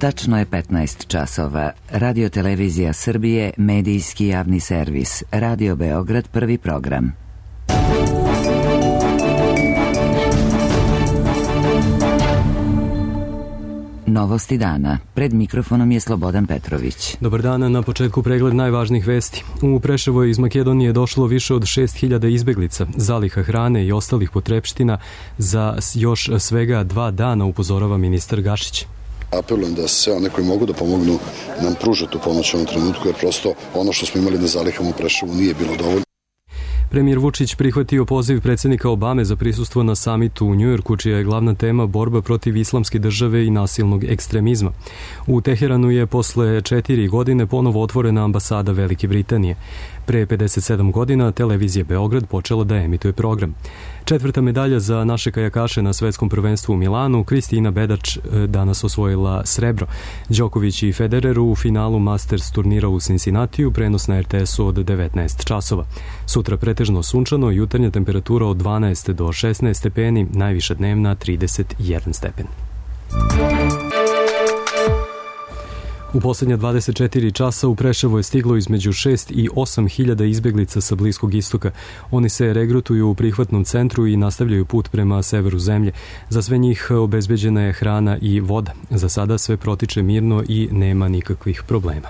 Tačno je 15 časova. Radio Televizija Srbije, medijski javni servis. Radio Beograd, prvi program. Novosti dana. Pred mikrofonom je Slobodan Petrović. Dobar dan, na početku pregled najvažnijih vesti. U Preševo je iz Makedonije došlo više od 6.000 izbeglica, zaliha hrane i ostalih potrepština za još svega 2 dana, upozorava ministar Gašić. Apelujem da sve one koji mogu da pomognu nam pruže tu pomoć u ovom trenutku, jer prosto ono što smo imali na zalihama u Preševu nije bilo dovoljno. Premijer Vučić prihvatio poziv predsjednika Obame za prisustvo na samitu u Njujorku, čija je glavna tema borba protiv islamske države i nasilnog ekstremizma. U Teheranu je posle 4 godine ponovo otvorena ambasada Velike Britanije. Pre 57 godina televizija Beograd počela da emituje program. 4. medalja za naše kajakaše na svetskom prvenstvu u Milanu. Kristina Bedač danas osvojila srebro. Đoković i Federer u finalu Masters turnira u Cincinnatiju, prenos na RTS-u od 19 časova. Sutra pretežno sunčano, jutarnja temperatura od 12 do 16 stepeni, najviša dnevna 31 stepen. U posljednja 24 časa u Preševo je stiglo između 6 i 8 hiljada izbeglica sa Bliskog istoka. Oni se regrutuju u prihvatnom centru i nastavljaju put prema severu zemlje. Za sve njih obezbeđena je hrana i voda. Za sada sve protiče mirno i nema nikakvih problema.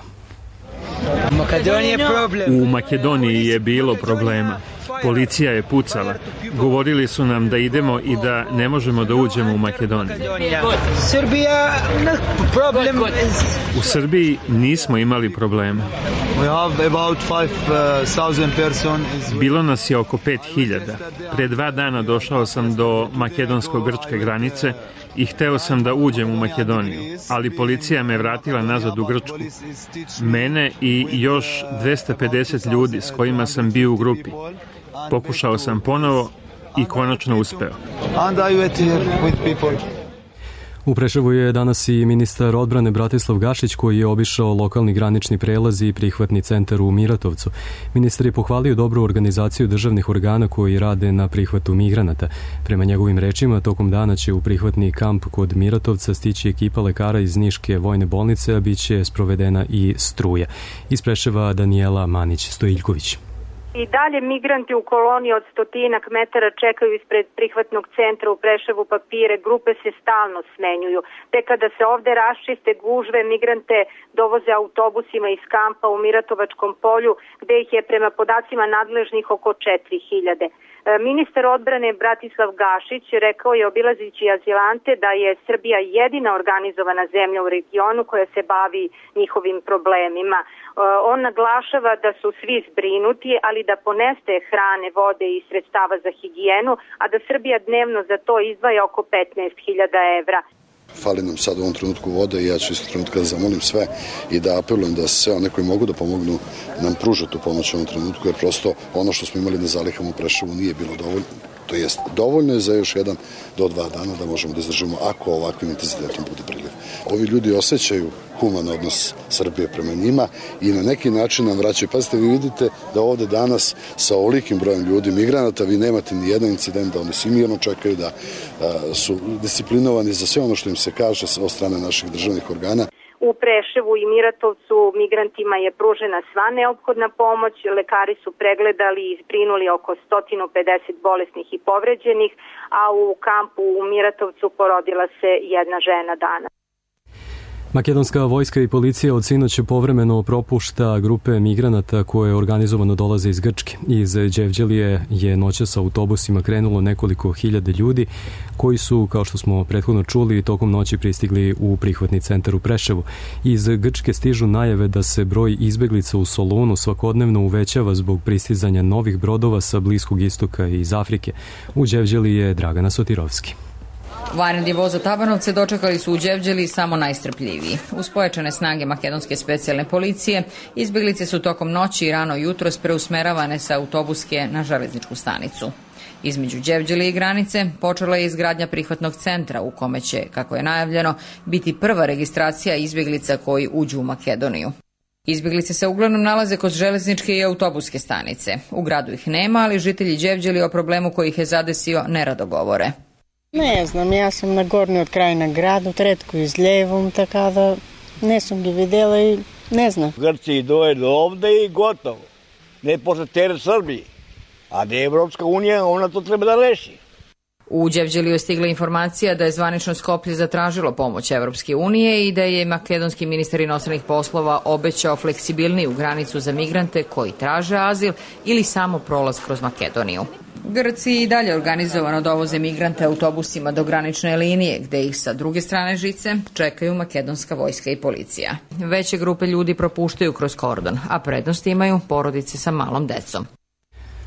U Makedoniji je bilo problema. Policija je pucala. Govorili su nam da idemo i da ne možemo da uđemo u Makedoniju. U Srbiji nismo imali problema. Bilo nas je oko 5.000. Pre 2 dana došao sam do makedonsko-grčke granice i hteo sam da uđem u Makedoniju, ali policija me vratila nazad u Grčku. Mene i još 250 ljudi s kojima sam bio u grupi. Pokušao sam ponovo i konačno uspeo. U Preševu je danas i ministar odbrane Bratislav Gašić, koji je obišao lokalni granični prelaz i prihvatni centar u Miratovcu. Ministar je pohvalio dobru organizaciju državnih organa koji rade na prihvatu migranata. Prema njegovim rečima, tokom dana će u prihvatni kamp kod Miratovca stići ekipa lekara iz Niške vojne bolnice, a bit će sprovedena i struja. Iz Preševa Danijela Manić-Stojiljković. I dalje migranti u koloni od 100-ak metara čekaju ispred prihvatnog centra u Preševu papire, grupe se stalno smenjuju. Te kada se ovde raščiste gužve, migrante dovoze autobusima iz kampa u Miratovačkom polju, gde ih je prema podacima nadležnih oko 4.000. Ministar odbrane Bratislav Gašić rekao je, obilazići azilante, da je Srbija jedina organizovana zemlja u regionu koja se bavi njihovim problemima. On naglašava da su svi zbrinuti, ali da ponestaje hrane, vode i sredstava za higijenu, a da Srbija dnevno za to izdvaja oko 15.000 evra. Fali nam sad u ovom trenutku vode i ja ću isto trenutka da zamolim sve i da apelujem da sve one koji mogu da pomognu nam pruže tu pomoć u ovom trenutku, jer prosto ono što smo imali na zalihama u Preševu nije bilo dovoljno. To jest, dovoljno je za još 1 do 2 dana da možemo da izdržimo ako ovakvim intenzitetom bude priliv. Ovi ljudi osjećaju human odnos Srbije prema njima i na neki način nam vraćaju. Pazite, vi vidite da ovde danas sa ovolikim brojem ljudi, migranata, vi nemate ni jedan incident, da oni svi mirno čekaju, da su disciplinovani za sve ono što im se kaže od strane naših državnih organa. U Preševu i Miratovcu migrantima je pružena sva neophodna pomoć, lekari su pregledali i zbrinuli oko 150 bolesnih i povređenih, a u kampu u Miratovcu porodila se jedna žena danas. Makedonska vojska i policija od sinoć povremeno propušta grupe migranata koje organizovano dolaze iz Grčke. Iz Đevđelije je noćas autobusima krenulo nekoliko hiljada ljudi koji su, kao što smo prethodno čuli, tokom noći pristigli u prihvatni centar u Preševu. Iz Grčke stižu najave da se broj izbeglica u Solunu svakodnevno uvećava zbog pristizanja novih brodova sa Bliskog istoka i iz Afrike. U Đevđeliji je Dragana Sotirovski. Vanredni voz za Tabanovce dočekali su u Đevđeliji samo najstrpljiviji. Uz pojačane snage makedonske specijalne policije, izbeglice su tokom noći i rano jutros preusmeravane sa autobuske na železničku stanicu. Između Đevđelije i granice počela je izgradnja prihvatnog centra u kome će, kako je najavljeno, biti prva registracija izbeglica koji uđu u Makedoniju. Izbeglice se uglavnom nalaze kod železničke i autobuske stanice. U gradu ih nema, ali žitelji Đevđelije o problemu koji ih je zadesio nerado govore. Ne znam, ja sam na gornji od krajina gradu, retko izljevom, tako da ne sam ga videla i ne znam. Grci doje do ovde i gotovo. Ne posle teret Srbiji. A da je Evropska unija, ona to treba da reši. U Đevđeliju je stigla informacija da je zvanično Skoplje zatražilo pomoć Evropske unije i da je makedonski ministar inostranih poslova obećao fleksibilniju granicu za migrante koji traže azil ili samo prolaz kroz Makedoniju. Grci i dalje organizovano dovoze migrante autobusima do granične linije, gde ih sa druge strane žice čekaju makedonska vojska i policija. Veće grupe ljudi propuštaju kroz kordon, a prednost imaju porodice sa malom decom.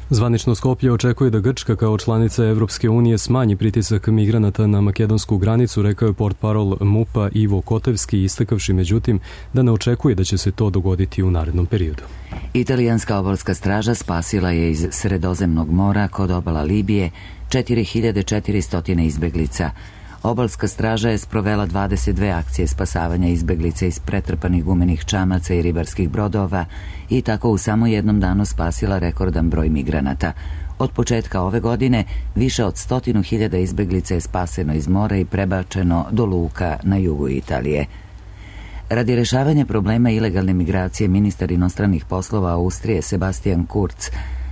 Zvanično Skoplje očekuje da Grčka kao članica Evropske unije smanji pritisak migranata na makedonsku granicu, rekao je portparol MUP-a Ivo Kotevski, istakavši međutim da ne očekuje da će se to dogoditi u narednom periodu. Italijanska obalska straža spasila je iz Sredozemnog mora kod obala Libije 4400 izbeglica. Obalska straža je sprovela 22 akcije spasavanja izbeglica iz pretrpanih gumenih čamaca i ribarskih brodova i tako u samo jednom danu spasila rekordan broj migranata. Od početka ove godine više od 100.000 izbeglica je spaseno iz mora i prebačeno do luka na jugu Italije. Radi rešavanja problema ilegalne migracije, ministar inostranih poslova Austrije Sebastian Kurz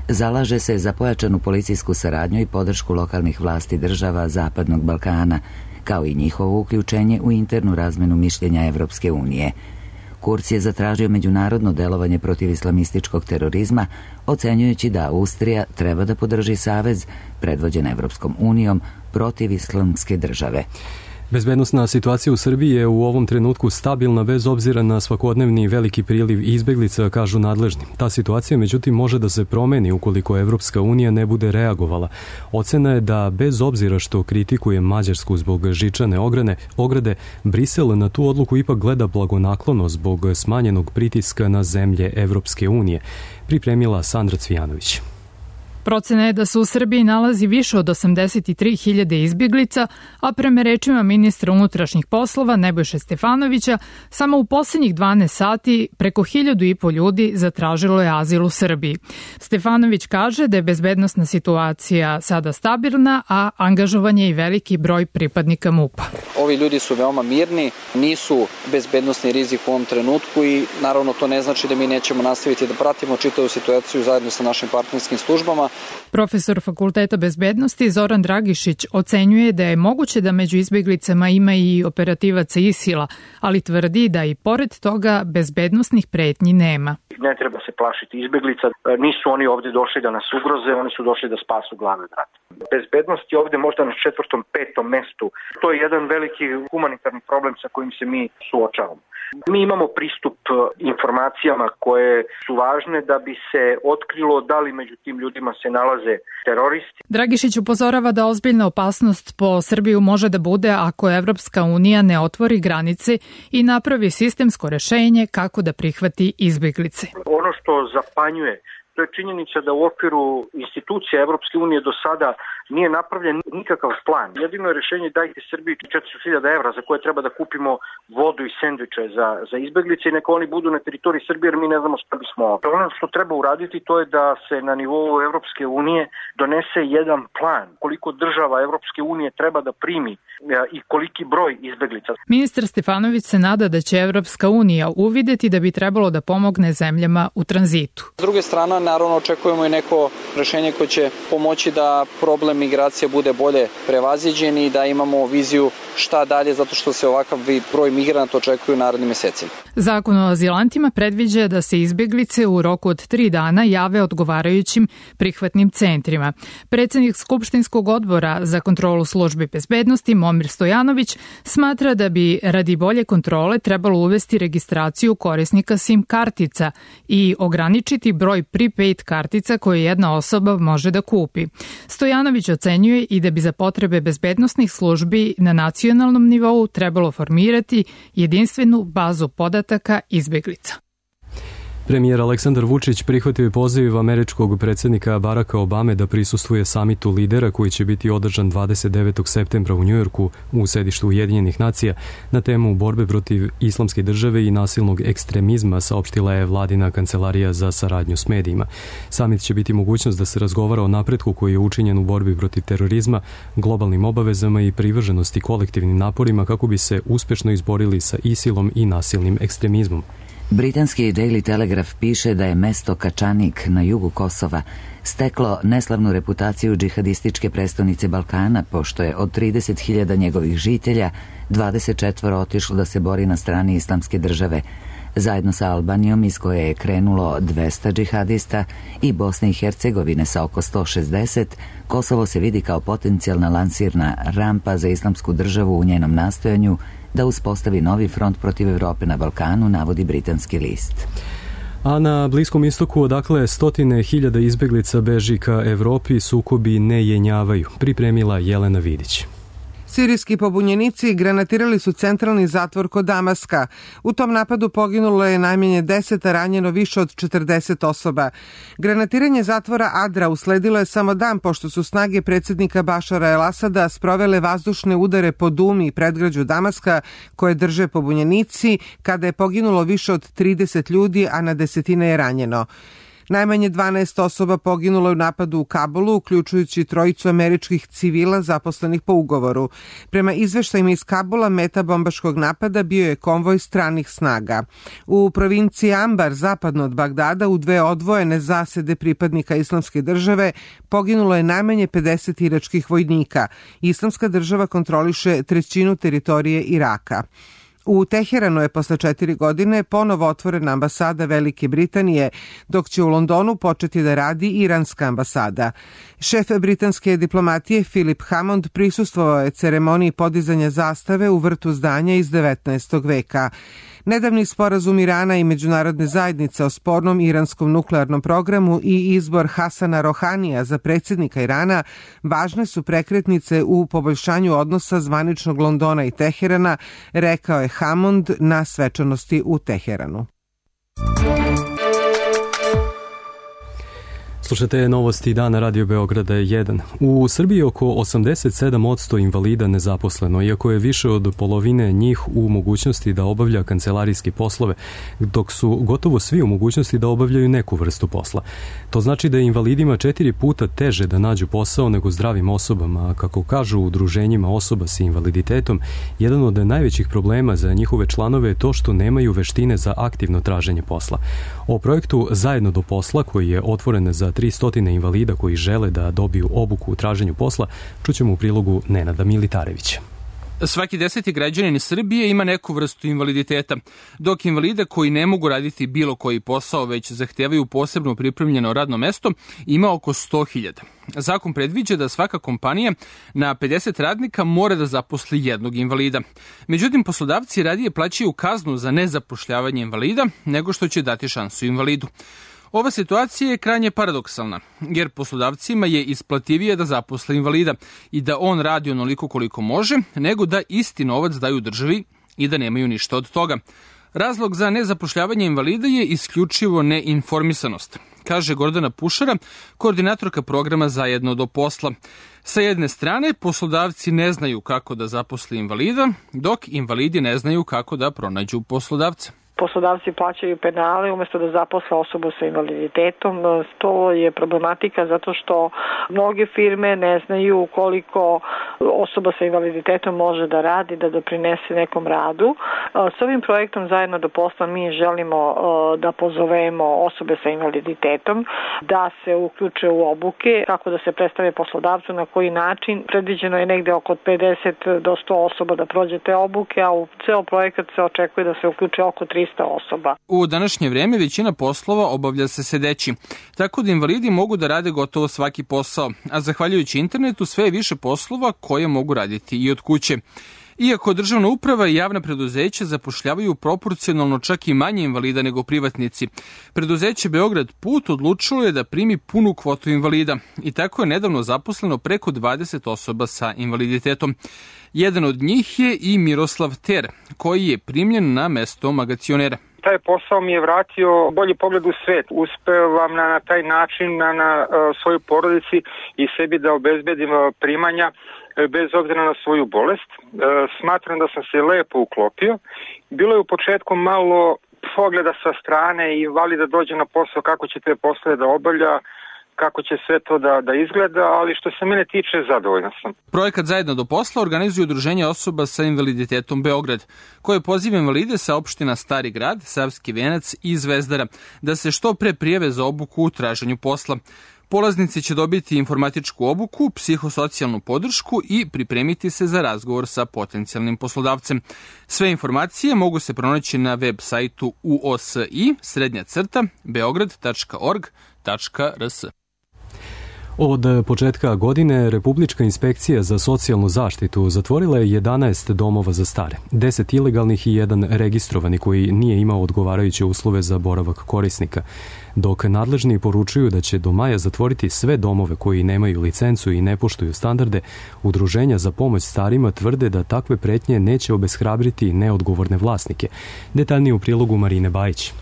zalaže se za pojačanu policijsku saradnju i podršku lokalnih vlasti država Zapadnog Balkana, kao i njihovo uključenje u internu razmenu mišljenja Evropske unije. Kurz je zatražio međunarodno delovanje protiv islamističkog terorizma, ocenjujući da Austrija treba da podrži savez predvođen Evropskom unijom protiv islamske države. Bezbednosna situacija u Srbiji je u ovom trenutku stabilna bez obzira na svakodnevni veliki priliv izbeglica, kažu nadležni. Ta situacija međutim može da se promeni ukoliko Evropska unija ne bude reagovala. Ocena je da bez obzira što kritikuje Mađarsku zbog žičane ograde, Brisel na tu odluku ipak gleda blagonaklono zbog smanjenog pritiska na zemlje Evropske unije, pripremila Sandra Cvijanović. Procena je da se u Srbiji nalazi više od 83.000 izbjeglica, a prema rečima ministra unutrašnjih poslova Nebojše Stefanovića, samo u poslednjih 12 sati preko 1.500 ljudi zatražilo je azil u Srbiji. Stefanović kaže da je bezbednosna situacija sada stabilna, a angažovan je i veliki broj pripadnika MUP-a. Ovi ljudi su veoma mirni, nisu bezbednosni rizik u ovom trenutku i naravno to ne znači da mi nećemo nastaviti da pratimo čitavu situaciju zajedno sa našim partnerskim službama. Profesor Fakulteta bezbednosti Zoran Dragišić ocenjuje da je moguće da među izbjeglicama ima i operativaca ISIL-a, ali tvrdi da i pored toga bezbednosnih pretnji nema. Ne treba se plašiti izbjeglica, nisu oni ovdje došli da nas ugroze, oni su došli da spasu glavni brat. Bezbednost je ovdje možda na 4., 5. mestu. To je jedan veliki humanitarni problem sa kojim se mi suočavamo. Mi imamo pristup informacijama koje su važne da bi se otkrilo da li među tim ljudima se nalaze teroristi. Dragišić upozorava da ozbiljna opasnost po Srbiju može da bude ako Evropska unija ne otvori granice i napravi sistemsko rešenje kako da prihvati izbjeglice. Ono što zapanjuje, to je činjenica da u okviru institucija Evropske unije do sada nije napravljen nikakav plan. Jedino je rešenje dajte Srbiji 400.000 evra za koje treba da kupimo vodu i sendviče za izbeglice i neka oni budu na teritoriji Srbije jer mi ne znamo šta bismo ovdje. Ono što treba uraditi to je da se na nivou Evropske unije donese jedan plan koliko država Evropske unije treba da primi i koliki broj izbeglica. Ministar Stefanović se nada da će Evropska unija uvideti da bi trebalo da pomogne zemljama u tranzitu. S druge strane, naravno očekujemo i neko rešenje koje će pomoći da problem migracija bude bolje prevaziđen i da imamo viziju šta dalje, zato što se ovakav broj migranata očekuje u narednim mesecima. Zakon o azilantima predviđa da se izbjeglice u roku od 3 dana jave odgovarajućim prihvatnim centrima. Predsednik Skupštinskog odbora za kontrolu službi bezbednosti Momir Stojanović smatra da bi radi bolje kontrole trebalo uvesti registraciju korisnika SIM kartica i ograničiti broj prepaid kartica koje jedna osoba može da kupi. Stojanović ocenjuje i da bi za potrebe bezbednosnih službi na nacionalnom nivou trebalo formirati jedinstvenu bazu podataka izbeglica. Premijer Aleksandar Vučić prihvatio je poziv američkog predsjednika Baracka Obame da prisustvuje samitu lidera koji će biti održan 29. septembra u Njujorku u sedištu Ujedinjenih nacija na temu borbe protiv islamske države i nasilnog ekstremizma, saopštila je vladina kancelarija za saradnju s medijima. Samit će biti mogućnost da se razgovara o napretku koji je učinjen u borbi protiv terorizma, globalnim obavezama i privrženosti kolektivnim naporima kako bi se uspešno izborili sa ISIL-om i nasilnim ekstremizmom. Britanski Daily Telegraph piše da je mesto Kačanik na jugu Kosova steklo neslavnu reputaciju džihadističke prestonice Balkana, pošto je od 30.000 njegovih žitelja 24 otišlo da se bori na strani islamske države. Zajedno sa Albanijom, iz koje je krenulo 200 džihadista, i Bosne i Hercegovine sa oko 160, Kosovo se vidi kao potencijalna lansirna rampa za islamsku državu u njenom nastojanju da uspostavi novi front protiv Evrope na Balkanu, navodi britanski list. A na Bliskom istoku, odakle stotine hiljada izbeglica beži ka Evropi, sukobi ne jenjavaju, pripremila Jelena Vidić. Sirijski pobunjenici granatirali su centralni zatvor kod Damaska. U tom napadu poginulo je najmanje 10, a ranjeno više od 40 osoba. Granatiranje zatvora Adra usledilo je samo dan pošto su snage predsjednika Bašara el-Asada sprovele vazdušne udare po Dumi i predgrađu Damaska koje drže pobunjenici, kada je poginulo više od 30 ljudi, a na desetine je ranjeno. Najmanje 12 osoba poginulo je u napadu u Kabulu, uključujući 3 američkih civila zaposlenih po ugovoru. Prema izveštajima iz Kabula, meta bombaškog napada bio je konvoj stranih snaga. U provinciji Ambar, zapadno od Bagdada, u 2 odvojene zasede pripadnika islamske države, poginulo je najmanje 50 iračkih vojnika. Islamska država kontroliše 1/3 teritorije Iraka. U Teheranu je posle 4 godine ponovo otvorena ambasada Velike Britanije, dok će u Londonu početi da radi iranska ambasada. Šef britanske diplomatije Philip Hammond prisustvovao je ceremoniji podizanja zastave u vrtu zdanja iz 19. veka. Nedavni sporazum Irana i međunarodne zajednice o spornom iranskom nuklearnom programu i izbor Hasana Rohanija za predsjednika Irana važne su prekretnice u poboljšanju odnosa zvaničnog Londona i Teherana, rekao je Hammond na svečanosti u Teheranu. Slušate novosti dana Radio Beograda 1. U Srbiji oko 87% invalida nezaposleno, iako je više od polovine njih u mogućnosti da obavlja kancelarijske poslove, dok su gotovo svi u mogućnosti da obavljaju neku vrstu posla. To znači da je invalidima 4 puta teže da nađu posao nego zdravim osobama, a kako kažu u udruženjima osoba sa invaliditetom, jedan od najvećih problema za njihove članove je to što nemaju veštine za aktivno traženje posla. O projektu Zajedno do posla, koji je otvoren za 300 invalida koji žele da dobiju obuku u traženju posla, čućemo u prilogu Nenada Militarevića. Svaki 10. građanin Srbije ima neku vrstu invaliditeta, dok invalida koji ne mogu raditi bilo koji posao, već zahtevaju posebno pripremljeno radno mesto, ima oko 100.000. Zakon predviđa da svaka kompanija na 50 radnika mora da zaposli jednog invalida. Međutim, poslodavci radije plaćaju kaznu za nezapošljavanje invalida nego što će dati šansu invalidu. Ova situacija je krajnje paradoksalna, jer poslodavcima je isplativije da zaposle invalida i da on radi onoliko koliko može, nego da isti novac daju državi i da nemaju ništa od toga. Razlog za nezapošljavanje invalida je isključivo neinformisanost, kaže Gordana Pušara, koordinatorka programa Zajedno do posla. Sa jedne strane, poslodavci ne znaju kako da zaposle invalida, dok invalidi ne znaju kako da pronađu poslodavca. Poslodavci plaćaju penale umesto da zaposle osobu sa invaliditetom. To je problematika zato što mnoge firme ne znaju koliko osoba sa invaliditetom može da radi, da doprinese nekom radu. S ovim projektom Zajedno do posla mi želimo da pozovemo osobe sa invaliditetom da se uključe u obuke, kako da se predstave poslodavcu, na koji način. Predviđeno je negde oko 50 do 100 osoba da prođe te obuke, a u ceo projekat se očekuje da se uključe oko 300 osoba. U današnje vreme većina poslova obavlja se sedeći, tako da invalidi mogu da rade gotovo svaki posao, a zahvaljujući internetu sve je više poslova koje mogu raditi i od kuće. Iako državna uprava i javna preduzeća zapošljavaju proporcionalno čak i manje invalida nego privatnici, preduzeće Beograd Put odlučilo je da primi punu kvotu invalida i tako je nedavno zaposleno preko 20 osoba sa invaliditetom. Jedan od njih je i Miroslav Ter, koji je primljen na mesto magacionera. taj posao mi je vratio bolji pogled u svet. Uspevam na taj način na svojoj porodici i sebi da obezbedim primanja bez obzira na svoju bolest. Smatram da sam se lepo uklopio. Bilo je u početku malo pogleda sa strane i vali da dođe na posao, kako će te poslove da obavlja, kako će sve to da izgleda, ali što se mene tiče, zadovoljna sam. Projekat Zajedno do posla organizuje Udruženje osoba sa invaliditetom Beograd, koje poziva invalide sa opština Stari grad, Savski venac i Zvezdara da se što pre prijave za obuku u traženju posla. Polaznici će dobiti informatičku obuku, psihosocijalnu podršku i pripremiti se za razgovor sa potencijalnim poslodavcem. Sve informacije mogu se pronaći na web sajtu uosi-beograd.org.rs. Od početka godine Republička inspekcija za socijalnu zaštitu zatvorila je 11 domova za stare, 10 ilegalnih i 1 registrovani koji nije imao odgovarajuće uslove za boravak korisnika, dok nadležni poručuju da će do maja zatvoriti sve domove koji nemaju licencu i ne poštuju standarde. Udruženja za pomoć starima tvrde da takve pretnje neće obeshrabriti neodgovorne vlasnike. Detaljnije u prilogu Marine Bajić.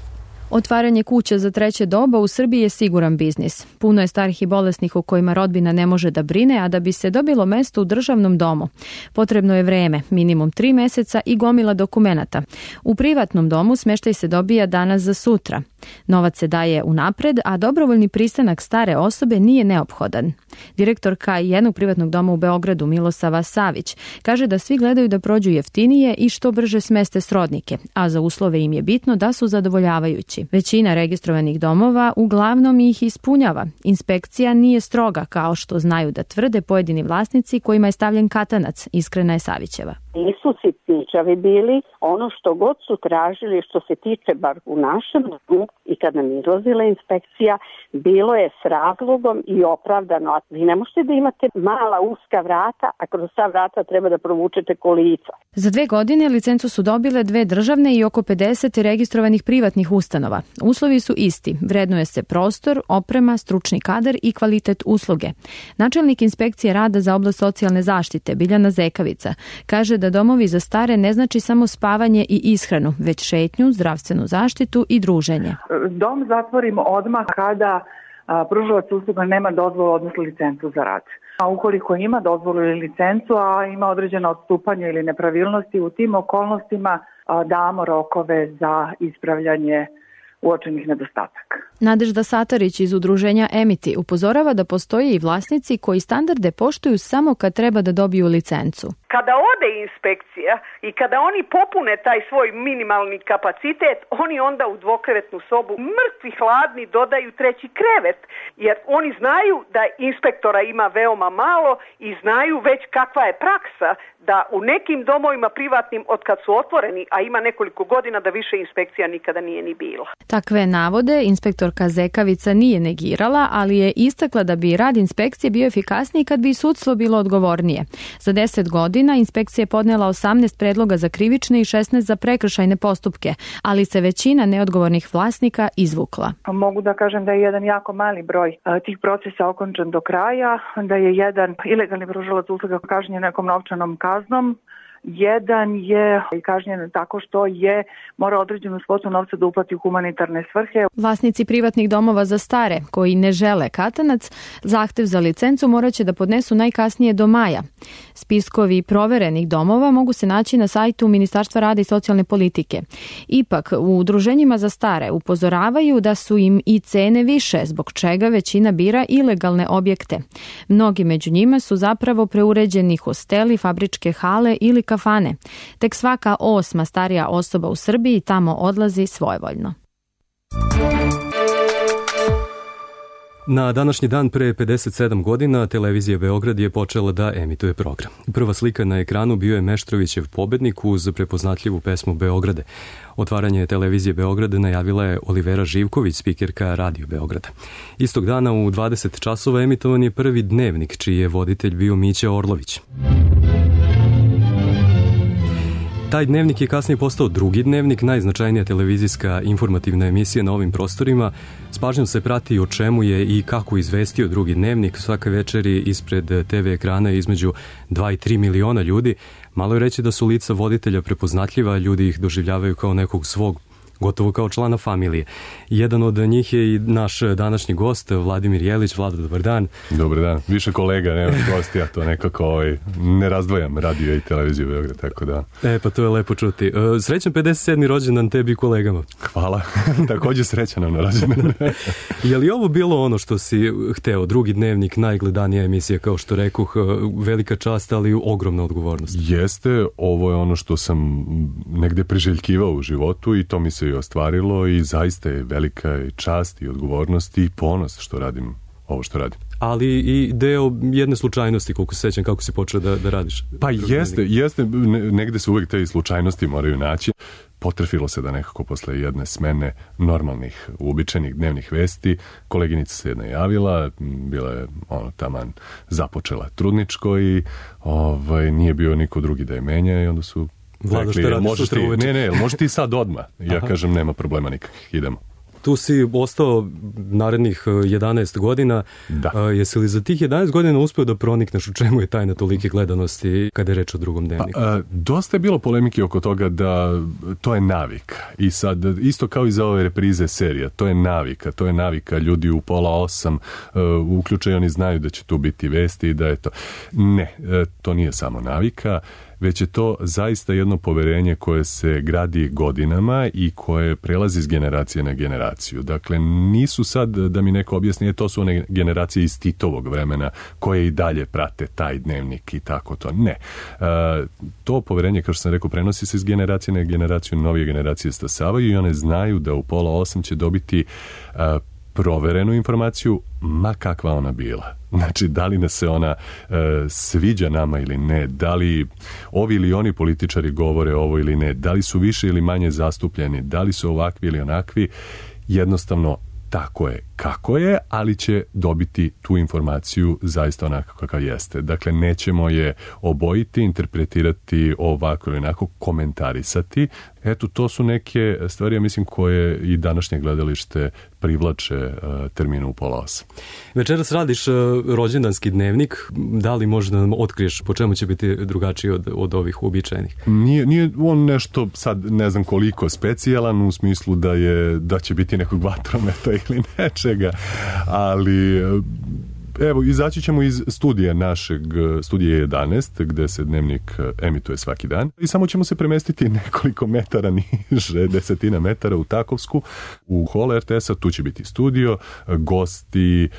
Otvaranje kuća za treće doba u Srbiji je siguran biznis. Puno je starih i bolesnih u kojima rodbina ne može da brine, a da bi se dobilo mesto u državnom domu potrebno je vreme, minimum 3 meseca i gomila dokumenata. U privatnom domu smeštaj se dobija danas za sutra. Novac se daje unapred, a dobrovoljni pristanak stare osobe nije neophodan. Direktorka jednog privatnog doma u Beogradu, Milosava Savić, kaže da svi gledaju da prođu jeftinije i što brže smeste srodnike, a za uslove im je bitno da su zadovoljavajući. Većina registrovanih domova uglavnom ih ispunjava. Inspekcija nije stroga, kao što znaju da tvrde pojedini vlasnici kojima je stavljen katanac, Iskrena je Savićeva. Nisu sitničavi bili, ono što god su tražili što se tiče bar u našem domu i kad nam izlazila inspekcija, bilo je s razlogom i opravdano. Vi ne možete da imate mala uska vrata, a kroz ta vrata treba da provučete kolica. Za 2 godine licencu su dobile 2 državne i oko 50 registrovanih privatnih ustanova. Uslovi su isti, vrednuje se prostor, oprema, stručni kadar i kvalitet usluge. Načelnik inspekcije rada za oblast socijalne zaštite, Biljana Zekavica, kaže da domovi za stare ne znači samo spavanje i ishranu, već šetnju, zdravstvenu zaštitu i druženje. Dom zatvorimo odmah kada pružalac usluga nema dozvolu, odnosno licencu za rad. A ukoliko ima dozvolu ili licencu, a ima određena odstupanja ili nepravilnosti, u tim okolnostima damo rokove za ispravljanje uočenih nedostataka. Nadežda Satarić iz udruženja Emiti upozorava da postoje i vlasnici koji standarde poštuju samo kad treba da dobiju licencu. Kada ode inspekcija i kada oni popune taj svoj minimalni kapacitet, oni onda u dvokrevetnu sobu mrtvi hladni dodaju 3. krevet, jer oni znaju da inspektora ima veoma malo i znaju već kakva je praksa da u nekim domovima privatnim od kad su otvoreni, a ima nekoliko godina da više inspekcija nikada nije ni bila. Takve navode inspektorka Zekavica nije negirala, ali je istakla da bi rad inspekcije bio efikasniji kad bi sudstvo bilo odgovornije. Za 10 godina inspekcija je podnela 18 predloga za krivične i 16 za prekršajne postupke, ali se većina neodgovornih vlasnika izvukla. Mogu da kažem da je jedan jako mali broj tih procesa okončan do kraja, da je jedan ilegalni pružalac usluga kažnjen nekom novčanom kaznom, jedan je kažnjen tako što je mora određenu svotu novca da uplati u humanitarne svrhe. Vlasnici privatnih domova za stare koji ne žele katanac, zahtev za licencu morat će da podnesu najkasnije do maja. Spiskovi proverenih domova mogu se naći na sajtu Ministarstva rada i socijalne politike. Ipak, u udruženjima za stare upozoravaju da su im i cene više, zbog čega većina bira ilegalne objekte. Mnogi među njima su zapravo preuređeni hosteli, fabričke hale ili kafane. Tek svaka 8. starija osoba u Srbiji tamo odlazi svojevoljno. Na današnji dan pre 57 godina televizija Beograd je počela da emituje program. Prva slika na ekranu bio je Meštrovićev pobednik uz prepoznatljivu pesmu Beograde. Otvaranje televizije Beograd najavila je Olivera Živković, spikerka Radio Beograda. Istog dana u 20 časova emitovan je prvi dnevnik, čiji je voditelj bio Mića Orlović. Taj dnevnik je kasnije postao drugi dnevnik, najznačajnija televizijska informativna emisija na ovim prostorima. S pažnjom se prati o čemu je i kako izvestio drugi dnevnik. Svake večeri ispred TV ekrana između 2 i 3 miliona ljudi. Malo je reći da su lica voditelja prepoznatljiva, ljudi ih doživljavaju kao nekog svog gotovo kao člana familije. Jedan od njih je i naš današnji gost, Vladimir Jelić. Vlado, dobar dan. Dobar dan. Više kolega, nema gosti, ja to nekako ne razdvojam radio i televiziju Beograd, tako da. Pa to je lepo čuti. Srećan 57. rođendan tebi i kolegama. Hvala. Također srećan nam na rođendan. Je li ovo bilo ono što si hteo? Drugi dnevnik, najgledanija emisija, kao što rekoh, velika čast, ali ogromna odgovornost. Jeste, ovo je ono što sam negde priželjkivao u životu i to mi se i ostvarilo i zaista je velika čast i odgovornost i ponos što radim ovo što radim. Ali i deo jedne slučajnosti, koliko se sećam, kako si počeo da radiš. Pa jeste, negde se uvek te slučajnosti moraju naći. Potrefilo se da nekako posle jedne smene normalnih, uobičajenih dnevnih vesti, koleginica se jedna javila, bila je taman započela trudničko i nije bio niko drugi da je menja i onda su rekli, možeš ti sad odmah. Ja kažem, nema problema nikakvih, idemo. Tu si ostao narednih 11 godina. Da. Jesi li za tih 11 godina uspeo da pronikneš u čemu je tajna tolike gledanosti kada je reč o drugom dnevniku? Dosta je bilo polemike oko toga da to je navika. I sad, isto kao i za ove reprize serija, to je navika. Ljudi u 7:30 uključaju, oni znaju da će tu biti vesti i da je to. Ne, to nije samo navika, već je to zaista jedno poverenje koje se gradi godinama i koje prelazi iz generacije na generaciju. Dakle, nisu sad, da mi neko objasni, to su one generacije iz Titovog vremena koje i dalje prate taj dnevnik i tako to. Ne. To poverenje, kao što sam rekao, prenosi se iz generacije na generaciju, novije generacije stasavaju i one znaju da u 7:30 će dobiti proverenu informaciju, ma kakva ona bila. Znači, da li nas se ona sviđa nama ili ne, da li ovi ili oni političari govore ovo ili ne, da li su više ili manje zastupljeni, da li su ovakvi ili onakvi, jednostavno tako je kako je, ali će dobiti tu informaciju zaista onako kakav jeste. Dakle, nećemo je obojiti, interpretirati ovako ili onako, komentarisati. Eto, to su neke stvari, ja mislim, koje i današnje gledalište privlače terminu u 7:30. Večeras radiš rođendanski dnevnik. Da li možda nam otkriješ po čemu će biti drugačiji od ovih uobičajenih? Nije on nešto sad ne znam koliko specijalan u smislu da će biti nekog vatrometa ili nečega, ali evo, izaći ćemo iz studija našeg, studije 11, gde se dnevnik emituje svaki dan i samo ćemo se premestiti nekoliko metara niže, 10 metara u Takovsku, u hol RTS-a. Tu će biti studio, gosti,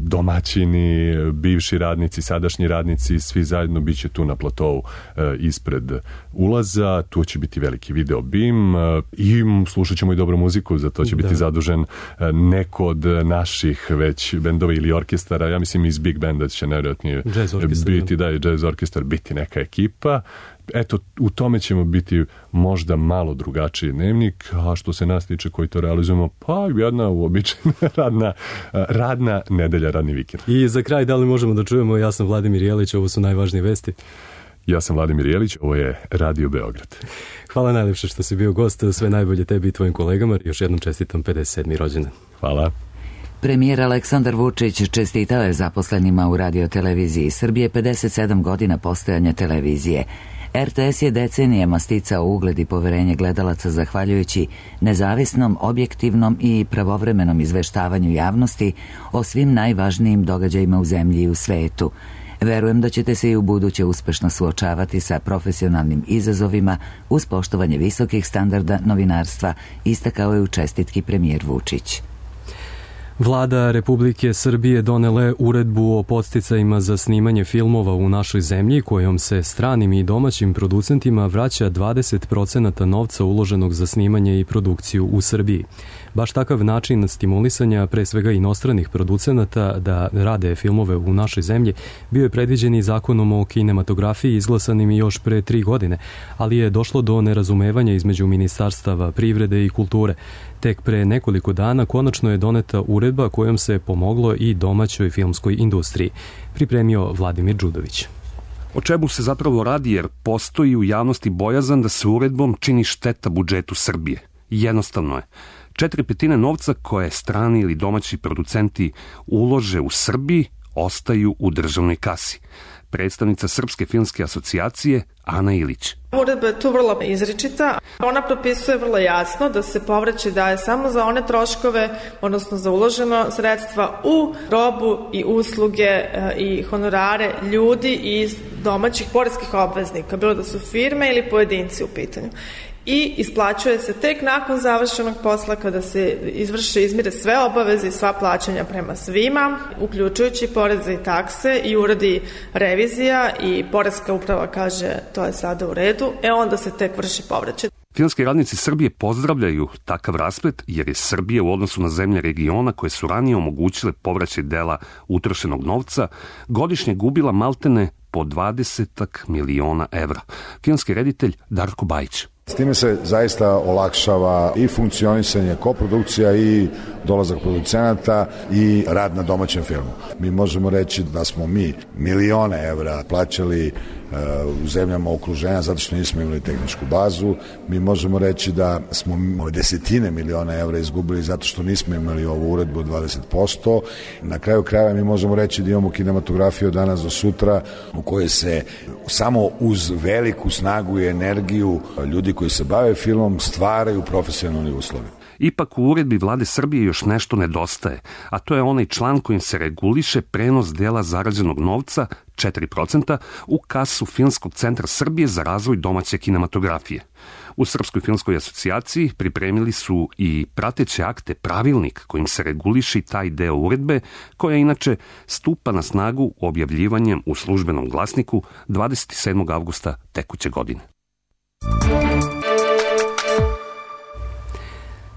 domaćini, bivši radnici, sadašnji radnici, svi zajedno bit će tu na platovu ispred ulaza. Tu će biti veliki video bim i slušat ćemo i dobru muziku, za to će biti zadužen neko od naših već bendova ili orkestra. Ja mislim iz Big Banda će nevjerojatnije biti, da je jazz orkestar, biti neka ekipa. Eto, u tome ćemo biti možda malo drugačiji dnevnik, a što se nas tiče koji to realizujemo, pa jedna uobičajena radna nedelja, radni vikend. I za kraj, da li možemo da čujemo, ja sam Vladimir Jelić, ovo su najvažnije vesti. Ja sam Vladimir Jelić, ovo je Radio Beograd. Hvala najlepše što si bio gost, sve najbolje tebi i tvojim kolegama. Još jednom čestitam 57. rođendan. Hvala. Premijer Aleksandar Vučić čestitao je zaposlenima u radioteleviziji Srbije 57 godina postojanja televizije. RTS je decenijama sticao ugled i poverenje gledalaca zahvaljujući nezavisnom, objektivnom i pravovremenom izveštavanju javnosti o svim najvažnijim događajima u zemlji i u svetu. Verujem da ćete se i u buduće uspešno suočavati sa profesionalnim izazovima uz poštovanje visokih standarda novinarstva, istakao je u čestitki premijer Vučić. Vlada Republike Srbije donela je uredbu o podsticajima za snimanje filmova u našoj zemlji, kojom se stranim i domaćim producentima vraća 20% novca uloženog za snimanje i produkciju u Srbiji. Baš takav način stimulisanja, pre svega inostranih producenata, da rade filmove u našoj zemlji, bio je predviđen i zakonom o kinematografiji izglasanim još pre 3 godine, ali je došlo do nerazumevanja između ministarstava privrede i kulture. Tek pre nekoliko dana konačno je doneta uredba kojom se pomoglo i domaćoj filmskoj industriji. Pripremio Vladimir Đudović. O čemu se zapravo radi, jer postoji u javnosti bojazan da se uredbom čini šteta budžetu Srbije. Jednostavno je. 4/5 novca koje strani ili domaći producenti ulože u Srbiji ostaju u državnoj kasi. Predstavnica Srpske filmske asocijacije Ana Ilić. Uredba je tu vrlo izričita. Ona propisuje vrlo jasno da se povraćaj daje samo za one troškove, odnosno za uloženo sredstva u robu i usluge i honorare ljudi iz domaćih poreskih obveznika, bilo da su firme ili pojedinci u pitanju. I isplaćuje se tek nakon završenog posla kada se izmire sve obaveze i sva plaćanja prema svima, uključujući poreze i takse, i uradi revizija i poreska uprava kaže to je sada u redu, onda se tek vrši povraćaj. Filmski radnici Srbije pozdravljaju takav rasplet jer je Srbija u odnosu na zemlje regiona koje su ranije omogućile povraćaj dela utrošenog novca godišnje gubila maltene po 20 miliona evra. Filmski reditelj Darko Bajić. S time se zaista olakšava i funkcionisanje koprodukcija i dolazak producenata i rad na domaćem filmu. Mi možemo reći da smo mi milione evra plaćali u zemljama okruženja zato što nismo imali tehničku bazu. Mi možemo reći da smo desetine miliona evra izgubili zato što nismo imali ovu uredbu od 20%. Na kraju krajeva mi možemo reći da imamo kinematografiju od danas do sutra u kojoj se samo uz veliku snagu i energiju ljudi koji se bave filmom stvaraju profesionalni uslovi. Ipak u uredbi Vlade Srbije još nešto nedostaje, a to je onaj član kojim se reguliše prenos dela zarađenog novca, 4%, u kasu Filmskog centra Srbije za razvoj domaće kinematografije. U Srpskoj filmskoj asocijaciji pripremili su i prateće akte, pravilnik kojim se reguliše taj deo uredbe, koja inače stupa na snagu objavljivanjem u Službenom glasniku 27. avgusta tekuće godine.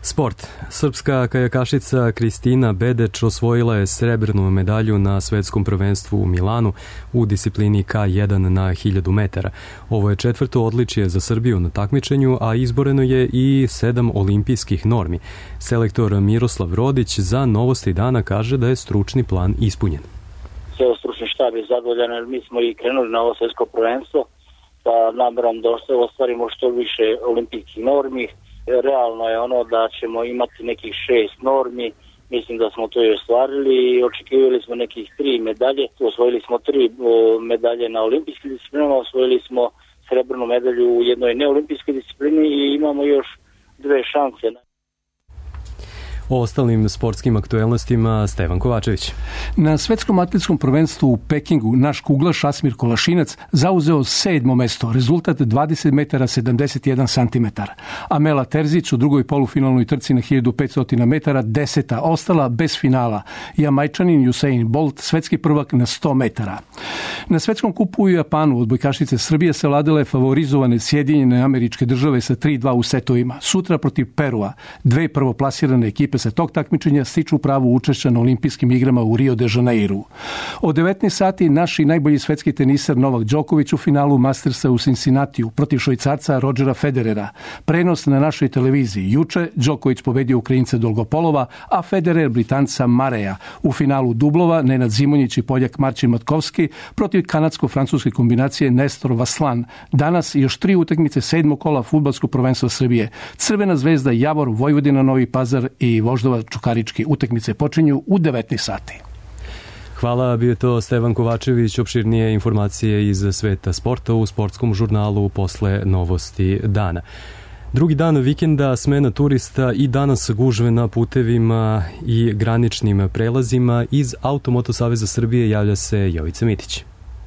Sport. Srpska kajakašica Kristina Bedeč osvojila je srebrnu medalju na svetskom prvenstvu u Milanu u disciplini K1 na 1000 metara. Ovo je četvrto odličje za Srbiju na takmičenju, a izboreno je i 7 olimpijskih normi. Selektor Miroslav Rodić za Novosti dana kaže da je stručni plan ispunjen. Ceo stručni štab je zadovoljan jer mi smo i krenuli na ovo svetsko prvenstvo sa namerom da ostvarimo što više olimpijskih normi. Realno je ono da ćemo imati nekih 6 normi, mislim da smo to i ostvarili i očekivali smo nekih 3 medalje. Osvojili smo 3 medalje na olimpijskim disciplinama, osvojili smo srebrnu medalju u jednoj neolimpijskoj disciplini i imamo još 2 šanse. O ostalim sportskim aktuelnostima Stevan Kovačević. Na svetskom atletskom prvenstvu u Pekingu naš kuglaš Asmir Kolašinac zauzeo 7. mesto, rezultat 20 metara 71 centimetara. Amela Terzić u drugoj polufinalnoj trci na 1500 metara 10. ostala bez finala. Jamajčanin Usain Bolt svetski prvak na 100 metara. Na svetskom kupu u Japanu odbojkašice Srbije savladale favorizovane Sjedinjene Američke Države sa 3-2 u setovima. Sutra protiv Perua. 2 prvoplasirane ekipe sa tog takmičenja stiču pravo učešća na olimpijskim igrama u Rio de Janeiru. Od 19 sati naši najbolji svetski teniser Novak Đoković u finalu Mastersa u Cincinnatiju protiv Švajcarca Rodgera Federera. Prenos na našoj televiziji. Juče Đoković pobedio Ukrajinca Dolgopolova, a Federer Britanca Mareja. U finalu dublova Nenad Zimonjić i Poljak Marcin Matkovski protiv kanadsko-francuske kombinacije Nestor Vaslan. Danas još 3 utakmice 7. kola fudbalskog prvenstva Srbije. Crvena zvezda Javor, Vojvodina Novi Pazar i Voždova Čukarički. Utakmice počinju u 19 sati. Hvala, bio je to Stevan Kovačević. Opširnije informacije iz sveta sporta u sportskom žurnalu posle Novosti dana. Drugi dan vikenda, smena turista i danas gužve na putevima i graničnim prelazima. Iz Automoto Saveza Srbije javlja se Jovica Mitić.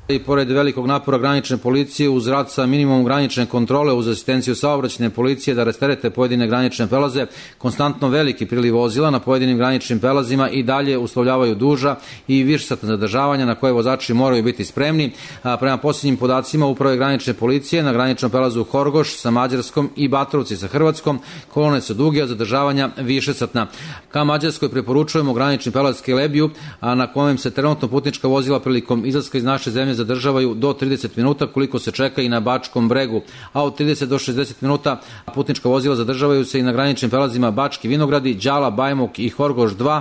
I pored velikog napora granične policije uz rad sa minimum granične kontrole uz asistenciju saobraćajne policije da rasterete pojedine granične prelaze, konstantno veliki priliv vozila na pojedinim graničnim prelazima i dalje uslovljavaju duža i višesatna zadržavanja na koje vozači moraju biti spremni. Prema posljednjim podacima Uprave granične policije na graničnom prelazu Horgoš sa Mađarskom i Batrovci sa Hrvatskom kolone su duge, a zadržavanja višesatna. Ka Mađarskoj preporučujemo granični prelaz Kelebiju, na kojem se trenutno putnička vozila prilikom izlaska iz naše zemlje zadržavaju do 30 minuta koliko se čeka i na Bačkom bregu, a od 30 do 60 minuta putnička vozila zadržavaju se i na graničnim prelazima Bački Vinogradi, Đala, Bajmok i Horgoš 2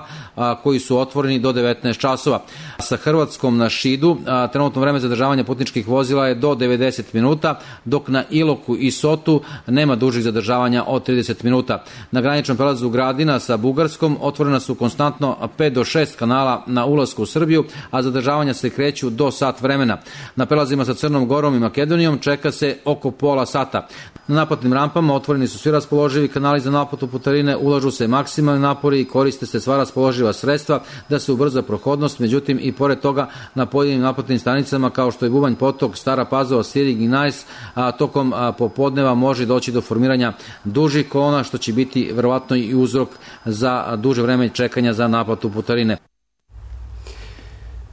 koji su otvoreni do 19 časova. Sa Hrvatskom na Šidu trenutno vreme zadržavanja putničkih vozila je do 90 minuta, dok na Iloku i Sotu nema dužih zadržavanja od 30 minuta. Na graničnom prelazu Gradina sa Bugarskom otvorena su konstantno 5 do 6 kanala na ulasku u Srbiju, a zadržavanja se kreću do sat vremena. vremena. Na prelazima sa Crnom Gorom i Makedonijom čeka se oko pola sata. Na naplatnim rampama otvoreni su svi raspoloživi kanali za naplatu putarine, ulažu se maksimalni napori i koriste se sva raspoloživa sredstva da se ubrza prohodnost, međutim i pored toga na pojedinim naplatnim stanicama kao što je Bubanj Potok, Stara Pazova, Sirig i Najs, a tokom popodneva može doći do formiranja dužih kolona, što će biti verovatno i uzrok za duže vreme čekanja za naplatu putarine.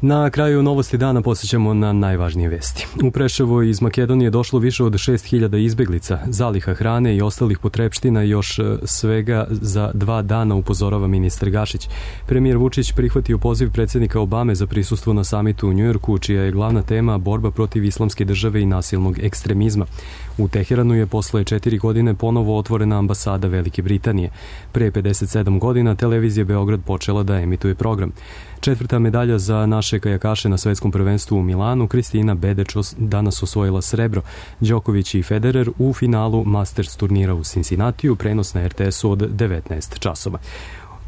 Na kraju novosti dana posjećamo na najvažnije vesti. U Preševo iz Makedonije došlo više od 6.000 izbeglica, zaliha hrane i ostalih potrepština još svega za 2 dana, upozorava ministar Gašić. Premijer Vučić prihvatio poziv predsjednika Obame za prisustvo na samitu u Njujorku, čija je glavna tema borba protiv islamske države i nasilnog ekstremizma. U Teheranu je posle 4 godine ponovo otvorena ambasada Velike Britanije. Pre 57 godina televizija Beograd počela da emituje program. 4. medalja za naše kajakaše na svetskom prvenstvu u Milanu, Kristina Bedeć danas osvojila srebro. Đoković i Federer u finalu Masters turnira u Cincinnatiju, prenos na RTS-u od 19 časova.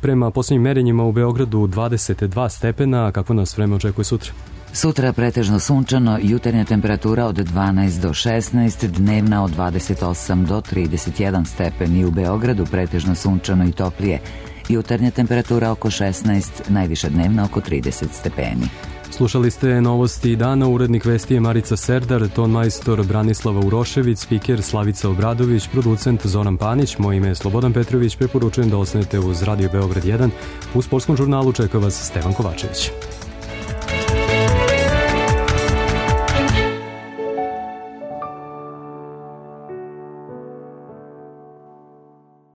Prema posljednjim merenjima u Beogradu 22 stepena, kako nas vreme očekuje sutra? Sutra pretežno sunčano, jutarnja temperatura od 12 do 16, dnevna od 28 do 31 stepeni. U Beogradu pretežno sunčano i toplije. Jutarnja temperatura oko 16, najviša dnevna oko 30 stepeni. Slušali ste novosti dana, urednik vesti je Marica Serdar, tonmajstor Branislava Urošević, spiker Slavica Obradović, producent Zoran Panić, moje ime je Slobodan Petrović, preporučujem da ostanete uz Radio Beograd 1. U sportskom žurnalu čeka vas Stevan Kovačević.